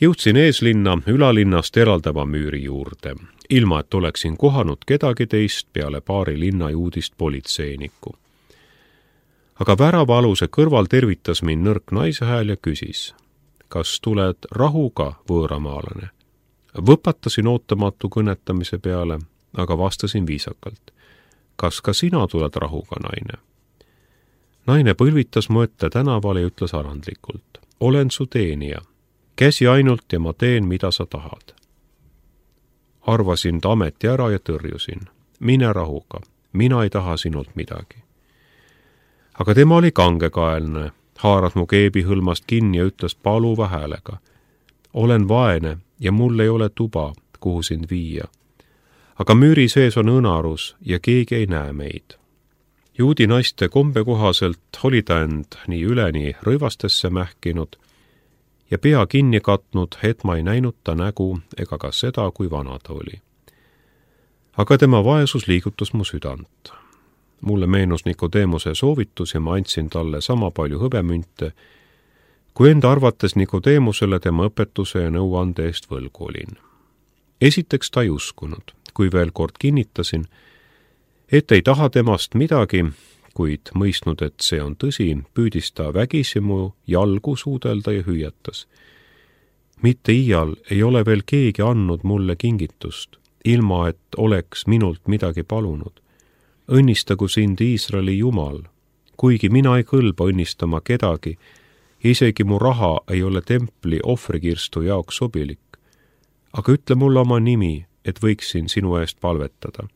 Jõudsin eeslinna ülalinnast eraldava müüri juurde, ilma et oleksin kohanud kedagi teist peale paari linnajuudist politseinikku. Aga väravaaluse kõrval tervitas mind nõrk naise hääl ja küsis, kas tuled rahuga, võõramaalane? Võpatasin ootamatu kõnetamise peale, aga vastasin viisakalt. Kas ka sina tuled rahuga, naine? Naine põlvitas mu ette tänaval ja ütles alandlikult. Olen su teenija. Käsi ainult ja ma teen, mida sa tahad. Arvasin ta ameti ära ja tõrjusin. Mine rahuga. Mina ei taha sinult midagi. Aga tema oli kangekaelne, haaras mu keebi hõlmast kinni ja ütles paluva häälega. Olen vaene ja mul ei ole tuba, kuhu sind viia. Aga müüri sees on õnarus ja keegi ei näe meid. Juudi naiste kombe kohaselt oli ta end nii üleni rõivastesse mähkinud ja pea kinni katnud, et ma ei näinud ta nägu ega ka seda, kui vana ta oli. Aga tema vaesus liigutas mu südant. Mulle meenus Nikodeemuse soovitus ja ma andsin talle sama palju hõbemünte, kui enda arvates Nikodeemusele tema õpetuse ja nõuande eest võlgu olin. Esiteks ta ei uskunud, kui veel kord kinnitasin, et ei taha temast midagi, kuid mõistnud, et see on tõsi, püüdis ta vägisi mu jalgu suudelda ja hüüatas. Mitte iial ei ole veel keegi andnud mulle kingitust, ilma et oleks minult midagi palunud. Õnnistagu sind Iisraeli Jumal, kuigi mina ei kõlba õnnistama kedagi, isegi mu raha ei ole templi ohvrikirstu jaoks sobilik. Aga ütle mulle oma nimi, et võiksin sinu eest palvetada.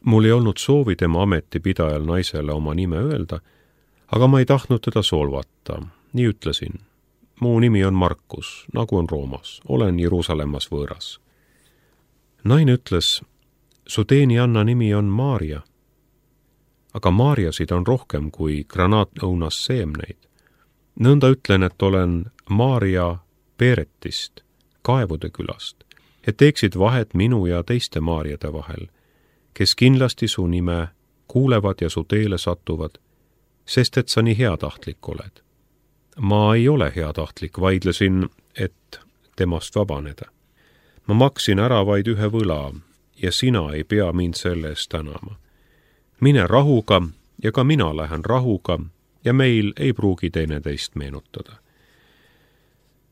Mul ei olnud soovi tema ametipidajal naisele oma nime öelda, aga ma ei tahtnud teda solvata. Nii ütlesin. Mu nimi on Markus, nagu on Roomas. Olen Jeruusalemmas võõras. Naine ütles, su teenijanna nimi on Maaria. Aga Maariasid on rohkem kui granaatõunas seemneid. Nõnda ütlen, et olen Maaria Peretist, Kaevude külast, et teeksid vahet minu ja teiste Maariade vahel, kes kindlasti su nime kuulevad ja su teele satuvad, sest et sa nii heatahtlik oled. Ma ei ole heatahtlik, vaidlesin, et temast vabaneda. Ma maksin ära vaid ühe võla ja sina ei pea mind selle eest tänama. Mine rahuga ja ka mina lähen rahuga ja meil ei pruugi teineteist meenutada.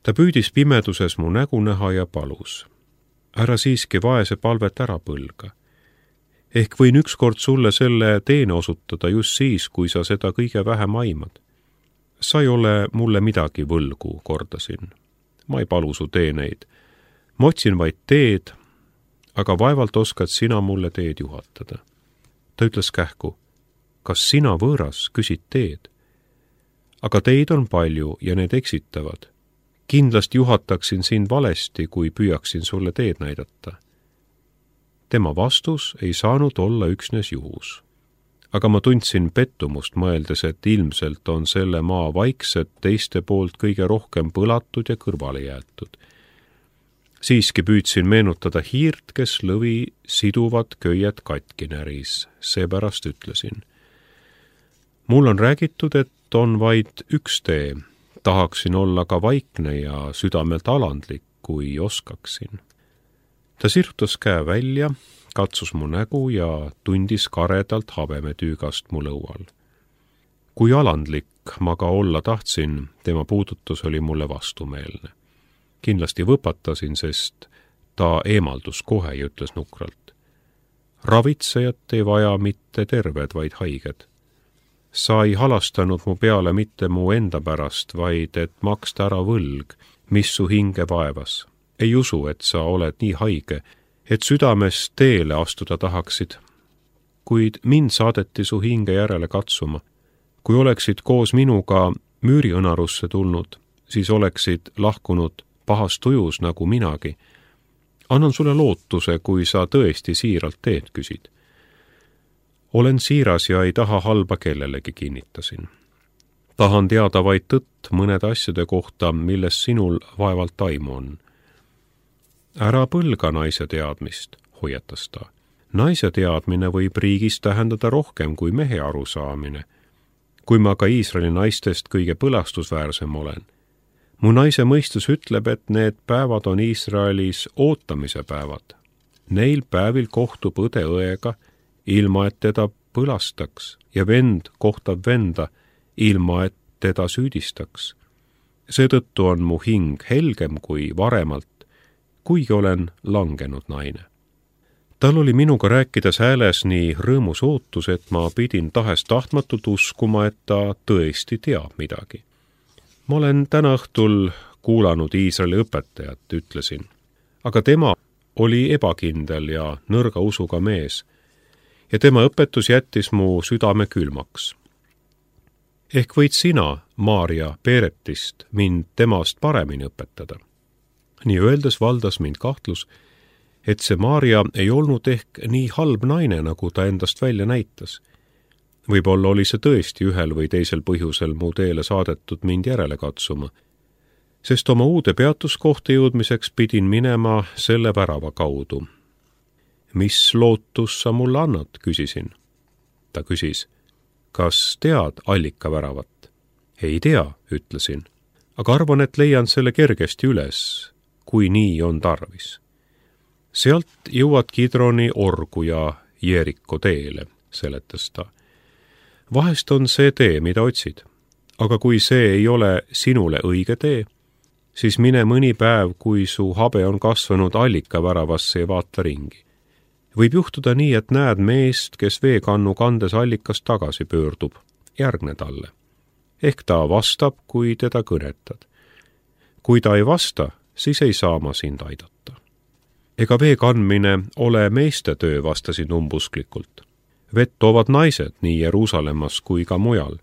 Ta püüdis pimeduses mu nägu näha ja palus. Ära siiski vaese palvet ära põlga. Ehk võin ükskord sulle selle teene osutada just siis, kui sa seda kõige vähem aimad. Sa ei ole mulle midagi võlgu, kordasin. Ma ei palu su teeneid. Ma otsin vaid teed, aga vaevalt oskad sina mulle teed juhatada. Ta ütles kähku, kas sina võõras küsid teed? Aga teid on palju ja need eksitavad. Kindlasti juhataksin sind valesti, kui püüaksin sulle teed näidata. Tema vastus ei saanud olla üksnes juhus. Aga ma tundsin pettumust mõeldes, et ilmselt on selle maa vaiksed teiste poolt kõige rohkem põlatud ja kõrvale jäetud. Siiski püüdsin meenutada hiirt, kes lõvi siduvat köiet katki näris, seepärast ütlesin. Mul on räägitud, et on vaid üks tee, tahaksin olla ka vaikne ja südamelt alandlik, kui oskaksin. Ta sirutas käe välja, katsus mu nägu ja tundis karedalt habemetüügast mu lõual. Kui alandlik ma ka olla tahtsin, tema puudutus oli mulle vastumeelne. Kindlasti võpatasin, sest ta eemaldus kohe ja ütles nukralt. Ravitsejat ei vaja mitte terved, vaid haiged. Sa ei halastanud mu peale mitte mu enda pärast, vaid et maksta ära võlg, mis su hinge vaevas. Ei usu, et sa oled nii haige, et südames teele astuda tahaksid. Kuid mind saadeti su hinge järele katsuma. Kui oleksid koos minuga müüriõnarusse tulnud, siis oleksid lahkunud pahas tujus nagu minagi. Annan sulle lootuse, kui sa tõesti siiralt teed küsid. Olen siiras ja ei taha halba kellelegi, kinnitasin. Tahan teada vaid tõtt mõnede asjade kohta, milles sinul vaevalt aimu on. Ära põlga naise teadmist, hoiatas ta. Naise teadmine võib riigis tähendada rohkem kui mehe arusaamine. Kui ma ka Iisraeli naistest kõige põlastusväärsem olen, Mu naise mõistus ütleb, et need päevad on Iisraelis ootamise päevad. Neil päevil kohtub õde õega, ilma et teda põlastaks, ja vend kohtab venda, ilma et teda süüdistaks. Seetõttu on mu hing helgem kui varemalt, kuigi olen langenud naine. Tal oli minuga rääkides hääles nii rõõmus ootus, et ma pidin tahes-tahtmatult uskuma, et ta tõesti teab midagi. Ma olen täna õhtul kuulanud Iisraeli õpetajat, ütlesin, aga tema oli ebakindel ja nõrga usuga mees ja tema õpetus jättis mu südame külmaks. Ehk võid sina, Maarja Peeretist, mind temast paremini õpetada. Nii öeldes valdas mind kahtlus, et see Maarja ei olnud ehk nii halb naine, nagu ta endast välja näitas. Võib-olla oli see tõesti ühel või teisel põhjusel mu teele saadetud mind järele katsuma, sest oma uude peatuskohta jõudmiseks pidin minema selle värava kaudu. Mis lootus sa mulle annad, küsisin. Ta küsis, kas tead allikaväravat? Ei tea, ütlesin, aga arvan, et leian selle kergesti üles, kui nii on tarvis. Sealt jõuad Kidroni orgu ja Jeeriko teele, seletas ta. Vahest on see tee, mida otsid, aga kui see ei ole sinule õige tee, siis mine mõni päev, kui su habe on kasvanud allikaväravasse ja vaata ringi. Võib juhtuda nii, et näed meest, kes veekannu kandes allikast tagasi pöördub, järgne talle. Ehk ta vastab, kui teda kõnetad. Kui ta ei vasta, siis ei saa ma sind aidata. Ega vee kandmine ole meeste töö, vastasin umbusklikult. Vett toovad naised nii Jeruusalemmas kui ka mujal.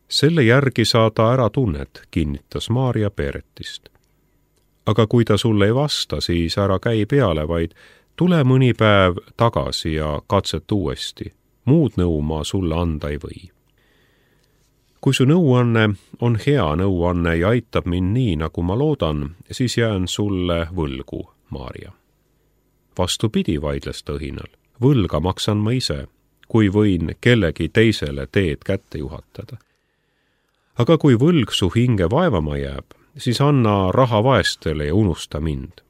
Selle järgi saada ära tunnet, kinnitas Maarja Peeretist. Aga kui ta sulle ei vasta, siis ära käi peale, vaid tule mõni päev tagasi ja katset uuesti. Muud nõu ma sulle anda ei või. Kui su nõuanne on hea nõuanne ja aitab mind nii, nagu ma loodan, siis jään sulle võlgu, Maarja. Vastupidi, vaidles ta õhinal. Võlga maksan ma ise, kui võin kellegi teisele teed kätte juhatada. Aga kui võlg su hinge vaevama jääb, siis anna raha vaestele ja unusta mind.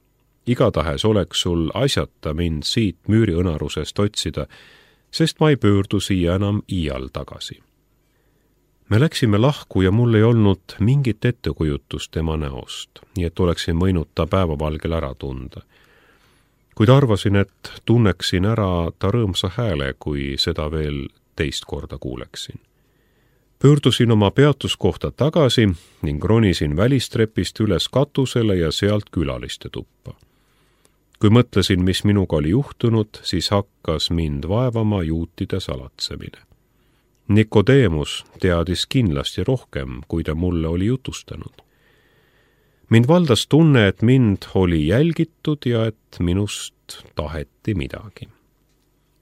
Igatahes oleks sul asjata mind siit müüriõnarusest otsida, sest ma ei pöördu siia enam iial tagasi. Me läksime lahku ja mul ei olnud mingit ettekujutust tema näost, nii et oleksin võinud ta päevavalgel ära tunda. Kuid arvasin, et tunneksin ära ta rõõmsa hääle, kui seda veel teist korda kuuleksin. Pöördusin oma peatuskohta tagasi ning ronisin välistrepist üles katusele ja sealt külaliste tuppa. Kui mõtlesin, mis minuga oli juhtunud, siis hakkas mind vaevama juutide salatsemine. Nikodeemus teadis kindlasti rohkem, kui ta mulle oli jutustanud. Mind valdas tunne, et mind oli jälgitud ja et minust taheti midagi.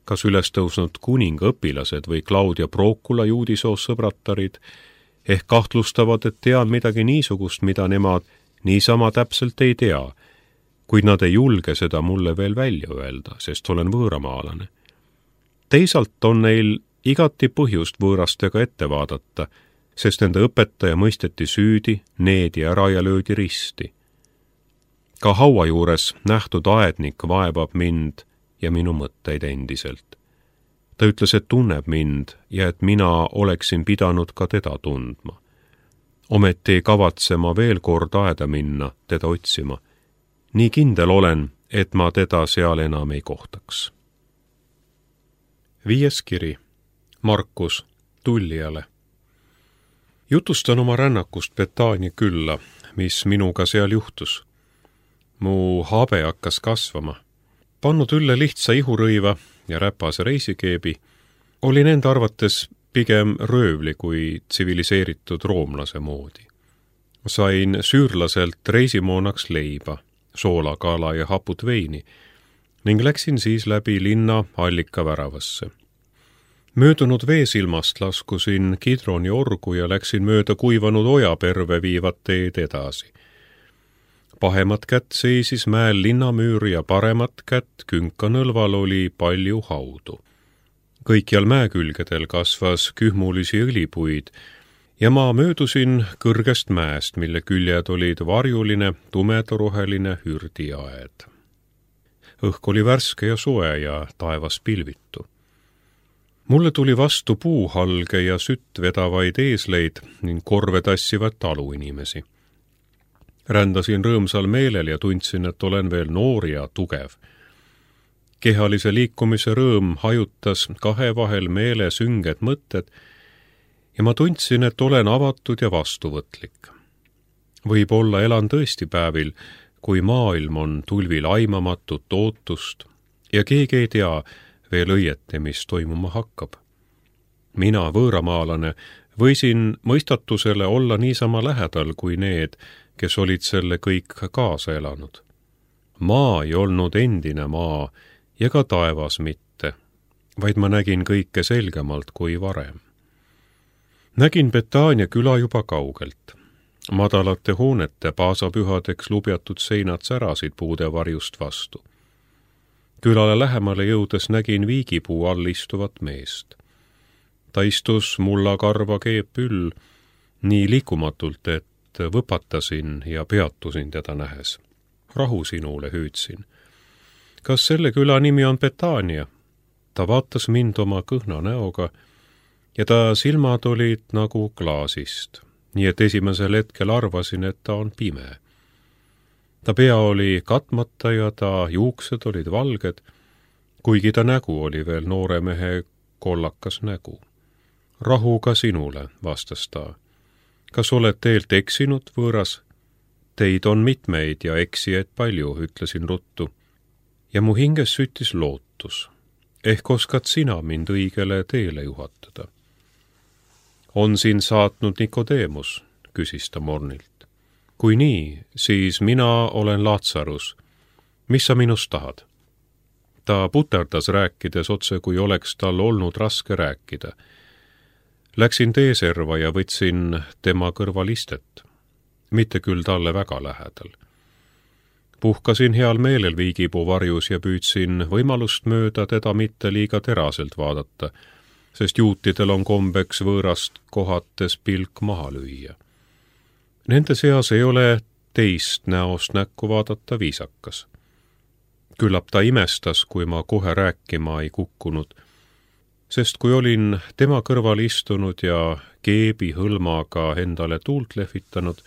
Kas ülestõusnud kuninga õpilased või Claudia Procula juudisoost sõbratarid ehk kahtlustavad, et tean midagi niisugust, mida nemad niisama täpselt ei tea, kuid nad ei julge seda mulle veel välja öelda, sest olen võõramaalane. Teisalt on neil igati põhjust võõrastega ette vaadata, sest nende õpetaja mõisteti süüdi, needi ära ja löödi risti. Ka haua juures nähtud aednik vaevab mind ja minu mõtteid endiselt. Ta ütles, et tunneb mind ja et mina oleksin pidanud ka teda tundma. Ometi ei kavatse ma veel kord aeda minna, teda otsima. Nii kindel olen, et ma teda seal enam ei kohtaks. 5. kiri. Markus Tullijale. Jutustan oma rännakust Betaania külla, mis minuga seal juhtus. Mu habe hakkas kasvama. Pannud ülle lihtsa ihurõiva ja räpase reisikeebi, olin enda arvates pigem röövli kui tsiviliseeritud roomlase moodi. Sain süürlaselt reisimoonaks leiba, soolakala ja haput veini ning läksin siis läbi linna allikaväravasse. Möödunud veesilmast laskusin Kidroni orgu ja läksin mööda kuivanud ojaperve viivat teed edasi. Pahemat kätt seisis mäel linnamüür ja paremat kätt künkanõlval oli palju haudu. Kõikjal mäekülgedel kasvas kühmulisi õlipuid ja ma möödusin kõrgest mäest, mille küljed olid varjuline, tumedaroheline hürdiaed. Õhk oli värske ja soe ja taevas pilvitu. Mulle tuli vastu puuhalge ja sütt vedavaid eesleid ning korve tassivad taluinimesi. Rändasin rõõmsal meelel ja tundsin, et olen veel noor ja tugev. Kehalise liikumise rõõm hajutas kahe vahel meele sünged mõtted ja ma tundsin, et olen avatud ja vastuvõtlik. Võib-olla elan tõesti päevil, kui maailm on tulvil aimamatut ootust ja keegi ei tea veel õieti, mis toimuma hakkab. Mina, võõramaalane, võisin mõistatusele olla niisama lähedal kui need, kes olid selle kõik kaasa elanud. Maa ei olnud endine maa ja ka taevas mitte, vaid ma nägin kõike selgemalt kui varem. Nägin Betania küla juba kaugelt. Madalate hoonete paasapühadeks lubjatud seinad särasid puude varjust vastu. Külale lähemale jõudes nägin viigipuu all istuvat meest. Ta istus mullakarva keepüll nii liikumatult, et võpatasin ja peatusin teda nähes. Rahu sinule, hüüdsin. Kas selle küla nimi on Betania? Ta vaatas mind oma kõhna näoga ja ta silmad olid nagu klaasist, nii et esimesel hetkel arvasin, et ta on pime. Ta pea oli katmata ja ta juuksed olid valged, kuigi ta nägu oli veel noore mehe kollakas nägu. Rahuga sinule, vastas ta. Kas oled teelt eksinud, võõras? Teid on mitmeid ja eksijaid palju, ütlesin ruttu. Ja mu hinges süttis lootus. Ehk oskad sina mind õigele teele juhatada? On siin saatnud Nikodeemus, küsis ta mornilt. Kui nii, siis mina olen Laatsarus. Mis sa minust tahad? Ta puterdas rääkides otse, kui oleks tal olnud raske rääkida. Läksin teeserva ja võtsin tema kõrval istet. Mitte küll talle väga lähedal. Puhkasin heal meelel viigipuu varjus ja püüdsin võimalust mööda teda mitte liiga teraselt vaadata, sest juutidel on kombeks võõrast kohates pilk maha lüüa. Nende seas ei ole teist näost näkku vaadata viisakas. Küllap ta imestas, kui ma kohe rääkima ei kukkunud, sest kui olin tema kõrval istunud ja keebi hõlmaga endale tuult lehvitanud,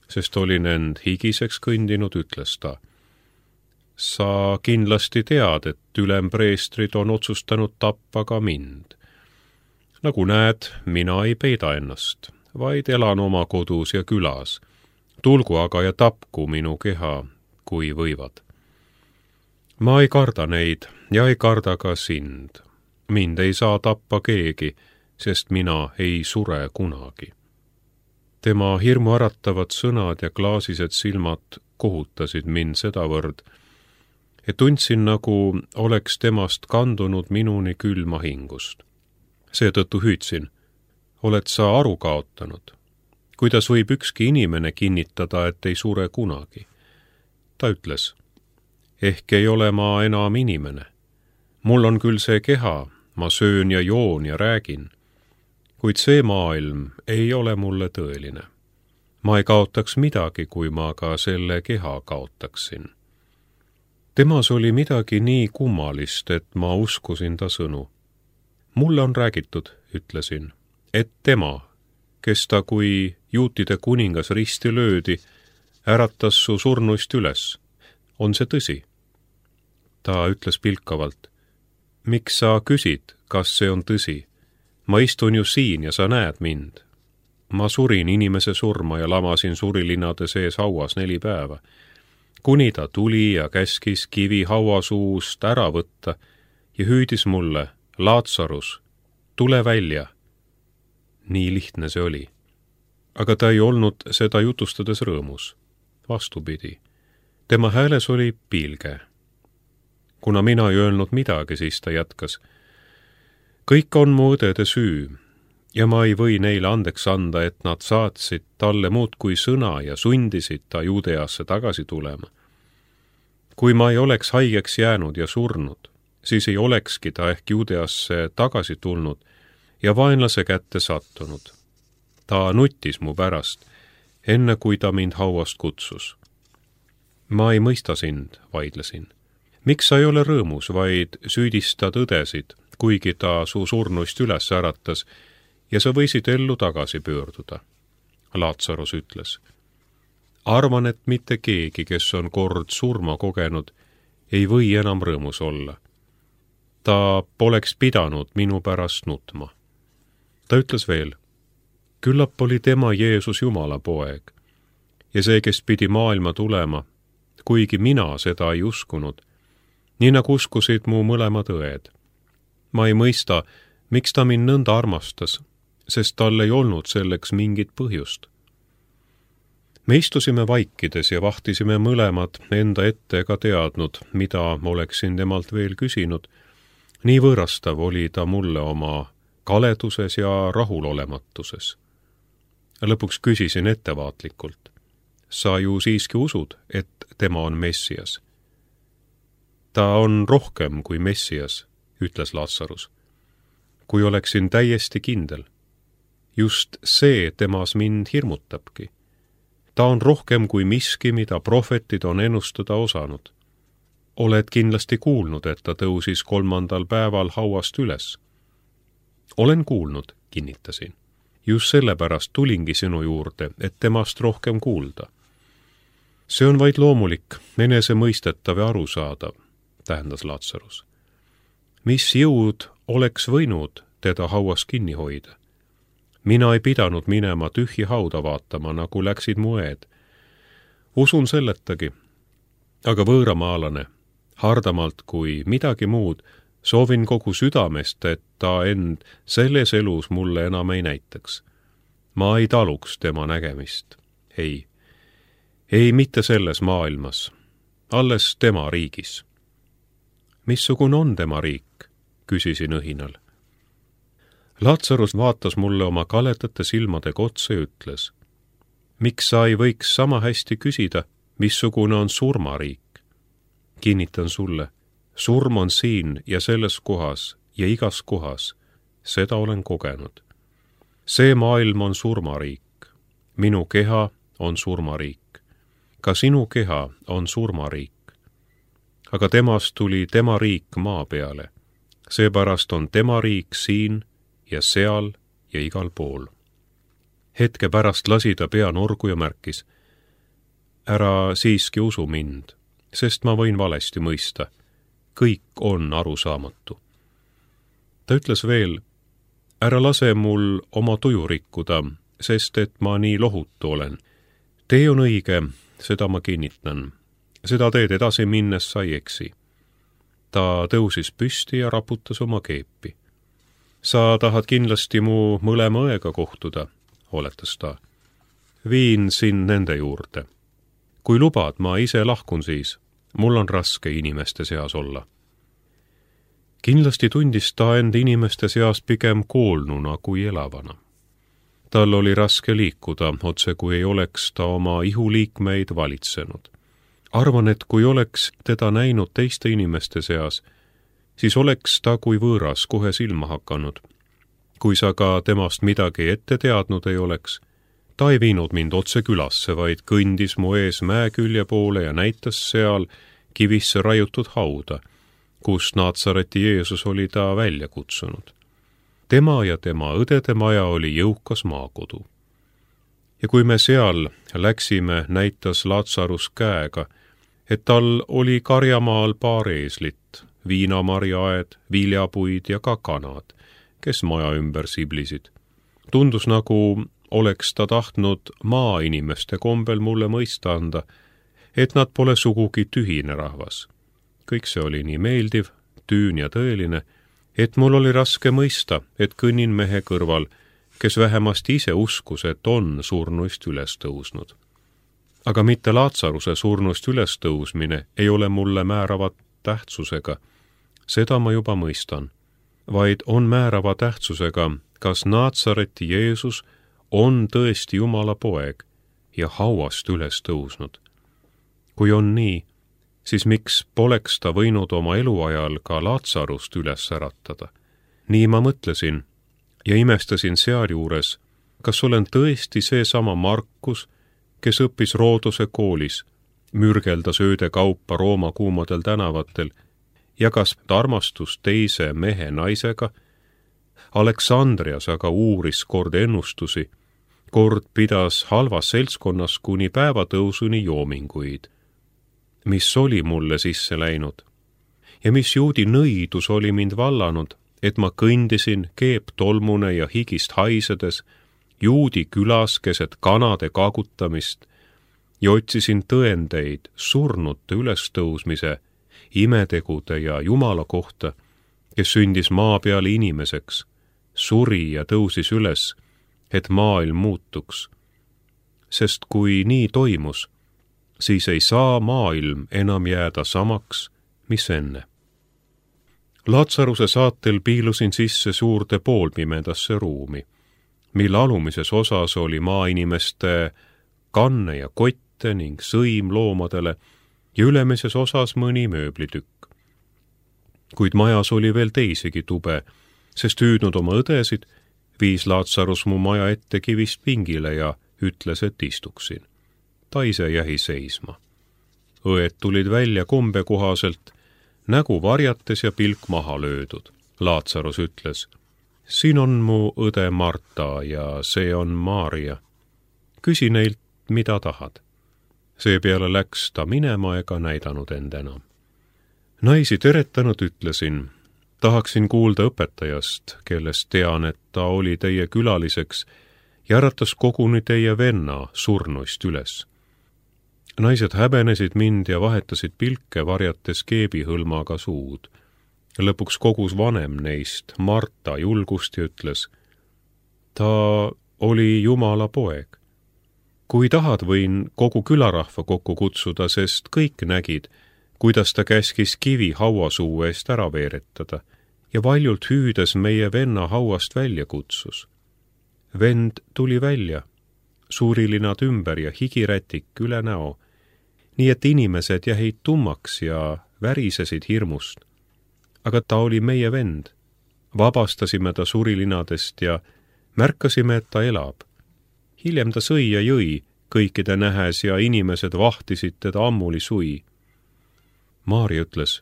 sest olin end higiseks kõndinud, ütles ta. Sa kindlasti tead, et ülempreestrid on otsustanud tappa ka mind. Nagu näed, mina ei peida ennast, vaid elan oma kodus ja külas. Tulgu aga ja tapku minu keha, kui võivad. Ma ei karda neid ja ei karda ka sind. Mind ei saa tappa keegi, sest mina ei sure kunagi. Tema hirmu äratavad sõnad ja klaasised silmad kohutasid mind sedavõrd, et tundsin, nagu oleks temast kandunud minuni külma hingust. Seetõttu hüüdsin, oled sa aru kaotanud? Kuidas võib ükski inimene kinnitada, et ei sure kunagi? Ta ütles, ehk ei ole ma enam inimene. Mul on küll see keha, ma söön ja joon ja räägin, kuid see maailm ei ole mulle tõeline. Ma ei kaotaks midagi, kui ma ka selle keha kaotaksin. Temas oli midagi nii kummalist, et ma uskusin ta sõnu. Mulle on räägitud, ütlesin, et tema, kes ta kui juutide kuningas risti löödi, äratas su surnuist üles. On see tõsi? Ta ütles pilkavalt, miks sa küsid, kas see on tõsi? Ma istun ju siin ja sa näed mind. Ma surin inimese surma ja lamasin surilinnade sees hauas 4 päeva. Kuni ta tuli ja käskis kivi hauasuust ära võtta ja hüüdis mulle, Laatsarus, tule välja. Nii lihtne see oli. Aga ta ei olnud seda jutustades rõõmus. Vastupidi. Tema hääles oli piilge. Kuna mina ei öelnud midagi, siis ta jätkas. Kõik on mu õdede süü ja ma ei või neile andeks anda, et nad saatsid talle muud kui sõna ja sundisid ta Juudeasse tagasi tulema. Kui ma ei oleks haigeks jäänud ja surnud, siis ei olekski ta ehk Juudeasse tagasi tulnud ja vaenlase kätte sattunud. Ta nuttis mu pärast, enne kui ta mind hauast kutsus. Ma ei mõista sind, vaidlesin. Miks sa ei ole rõõmus, vaid süüdistad õdesid, kuigi ta su surnuist üles äratas ja sa võisid ellu tagasi pöörduda? Laatsarus ütles. Arvan, et mitte keegi, kes on kord surma kogenud, ei või enam rõõmus olla. Ta poleks pidanud minu pärast nutma. Ta ütles veel, küllap oli tema Jeesus Jumala poeg ja see, kes pidi maailma tulema, kuigi mina seda ei uskunud, nii nagu uskusid mu mõlemad õed. Ma ei mõista, miks ta mind nõnda armastas, sest tal ei olnud selleks mingit põhjust. Me istusime vaikides ja vahtisime mõlemad enda ette ega teadnud, mida oleksin temalt veel küsinud. Nii võõrastav oli ta mulle oma kaleduses ja rahulolematuses. Lõpuks küsisin ettevaatlikult. Sa ju siiski usud, et tema on Messias? Ta on rohkem kui Messias, ütles Laatsarus. Kui oleksin täiesti kindel. Just see temas mind hirmutabki. Ta on rohkem kui miski, mida prohvetid on ennustada osanud. Oled kindlasti kuulnud, et ta tõusis 3. päeval hauast üles. Olen kuulnud, kinnitasin. Just sellepärast tulingi sinu juurde, et temast rohkem kuulda. See on vaid loomulik, enesemõistetav ja arusaadav, tähendas Laatsarus. Mis jõud oleks võinud teda hauas kinni hoida? Mina ei pidanud minema tühji hauda vaatama, nagu läksid mu õed. Usun selletagi, aga võõramaalane, hardamalt kui midagi muud, soovin kogu südamest, et ta end selles elus mulle enam ei näitaks. Ma ei taluks tema nägemist. Ei mitte selles maailmas, alles tema riigis. Missugune on tema riik? Küsisin õhinal. Laatsarus vaatas mulle oma kaledate silmadega otsa ja ütles, miks sa ei võiks sama hästi küsida, missugune on surmariik? Kinnitan sulle, surm on siin ja selles kohas ja igas kohas, seda olen kogenud. See maailm on surmariik, minu keha on surmariik, ka sinu keha on surmariik. Aga temast tuli tema riik maa peale, seepärast on tema riik siin ja seal ja igal pool. Hetke pärast lasi ta pea norgu ja märkis, ära siiski usu mind, sest ma võin valesti mõista. Kõik on arusaamatu. Ta ütles veel, ära lase mul oma tuju rikkuda, sest et ma nii lohutu olen. Tee on õige, seda ma kinnitan. Seda teed edasi minnes sa ei eksi. Ta tõusis püsti ja raputas oma keepi. Sa tahad kindlasti mu mõlema õega kohtuda, oletas ta. Viin sind nende juurde. Kui lubad, ma ise lahkun siis. Mul on raske inimeste seas olla. Kindlasti tundis ta end inimeste seas pigem koolnuna kui elavana. Tal oli raske liikuda, otse kui ei oleks ta oma ihuliikmeid valitsenud. Arvan, et kui oleks teda näinud teiste inimeste seas, siis oleks ta kui võõras kohe silma hakanud. Kui sa ka temast midagi ette teadnud ei oleks, ta ei viinud mind otse külasse, vaid kõndis mu ees mäekülje poole ja näitas seal kivisse raiutud hauda, kus Naatsareti Jeesus oli ta välja kutsunud. Tema ja tema õdede maja oli jõukas maakodu. Ja kui me seal läksime, näitas Laatsarus käega, et tal oli karjamaal paar eeslit, viinamarjaaed, viljapuid ja ka kanad, kes maja ümber siblisid. Tundus nagu oleks ta tahtnud maainimeste kombel mulle mõista anda, et nad pole sugugi tühine rahvas. Kõik see oli nii meeldiv, tüün ja tõeline, et mul oli raske mõista, et kõnnin mehe kõrval, kes vähemasti ise uskus, et on surnuist üles tõusnud. Aga mitte Laatsaruse surnuist üles tõusmine ei ole mulle määrava tähtsusega, seda ma juba mõistan, vaid on määrava tähtsusega, kas Naatsareti Jeesus on tõesti Jumala poeg ja hauast üles tõusnud. Kui on nii, siis miks poleks ta võinud oma eluajal ka Laatsarust üles äratada? Nii ma mõtlesin ja imestasin sealjuures, kas olen tõesti seesama Markus, kes õppis Roodose koolis, mürgeldas ööde kaupa Rooma kuumadel tänavatel, jagas armastust teise mehe naisega, Aleksandrias aga uuris kord ennustusi, kord pidas halvas seltskonnas kuni päevatõusuni joominguid. Mis oli mulle sisse läinud ja mis juudi nõidus oli mind vallanud, et ma kõndisin keeptolmune ja higist haisedes juudi külas keset kanade kaagutamist ja otsisin tõendeid surnute ülestõusmise, imetegude ja Jumala kohta, kes sündis maa peal inimeseks, suri ja tõusis üles, et maailm muutuks. Sest kui nii toimus, siis ei saa maailm enam jääda samaks, mis enne. Laatsaruse saatel piilusin sisse suurde poolpimedasse ruumi, mille alumises osas oli maainimeste kanne ja kotte ning sõim loomadele ja ülemises osas mõni mööblitükk. Kuid majas oli veel teisigi tube, sest hüüdnud oma õdesid, viis Laatsarus mu maja ette kivist pingile ja ütles, et istuksin. Ta ise jäi seisma. Õed tulid välja kombe kohaselt, nägu varjates ja pilk maha löödud. Laatsarus ütles, siin on mu õde Marta ja see on Maarja. Küsi neilt, mida tahad. Seepeale läks ta minema ega näidanud end enam. Naisi teretanud ütlesin, tahaksin kuulda õpetajast, kellest tean, et ta oli teie külaliseks ja äratas koguni teie venna surnuist üles. Naised häbenesid mind ja vahetasid pilke, varjates keebihõlmaga suud. Lõpuks kogus vanem neist, Marta, julgust ja ütles, ta oli Jumala poeg. Kui tahad, võin kogu külarahva kokku kutsuda, sest kõik nägid, kuidas ta käskis kivi hauasuu eest ära veeretada ja valjult hüüdes meie venna hauast välja kutsus. Vend tuli välja, suurilinad ümber ja higirätik üle näo, nii et inimesed jäid tummaks ja värisesid hirmust. Aga ta oli meie vend. Vabastasime ta surilinadest ja märkasime, et ta elab. Hiljem ta sõi ja jõi kõikide nähes ja inimesed vahtisid teda ammuli sui. Maarja ütles,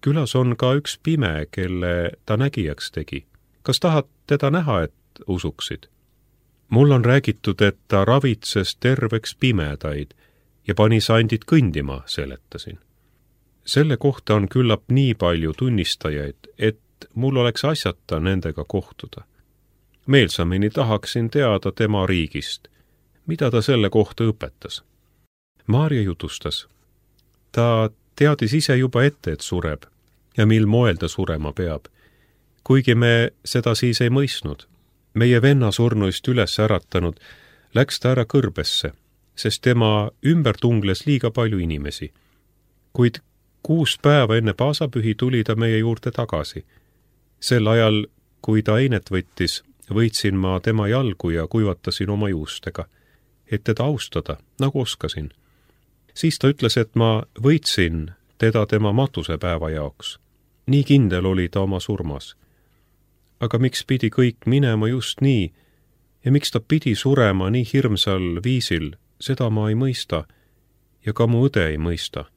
külas on ka üks pime, kelle ta nägijaks tegi. Kas tahad teda näha, et usuksid? Mul on räägitud, et ta ravitses terveks pimedaid ja pani sandid kõndima, seletasin. Selle kohta on küllap nii palju tunnistajaid, et mul oleks asjata nendega kohtuda. Meelsamini tahaksin teada tema riigist, mida ta selle kohta õpetas. Maarja jutustas. Ta teadis ise juba ette, et sureb ja mil moel ta surema peab. Kuigi me seda siis ei mõistnud. Meie venna surnuist üles äratanud läks ta ära kõrbesse, sest tema ümber tungles liiga palju inimesi. Kuid 6 päeva enne paasapühi tuli ta meie juurde tagasi. Sel ajal, kui ta einet võttis, võitsin ma tema jalgu ja kuivatasin oma juustega, et teda austada, nagu oskasin. Siis ta ütles, et ma võitsin teda tema matusepäeva jaoks. Nii kindel oli ta oma surmas. Aga miks pidi kõik minema just nii ja miks ta pidi surema nii hirmsal viisil, seda ma ei mõista ja ka mu õde ei mõista.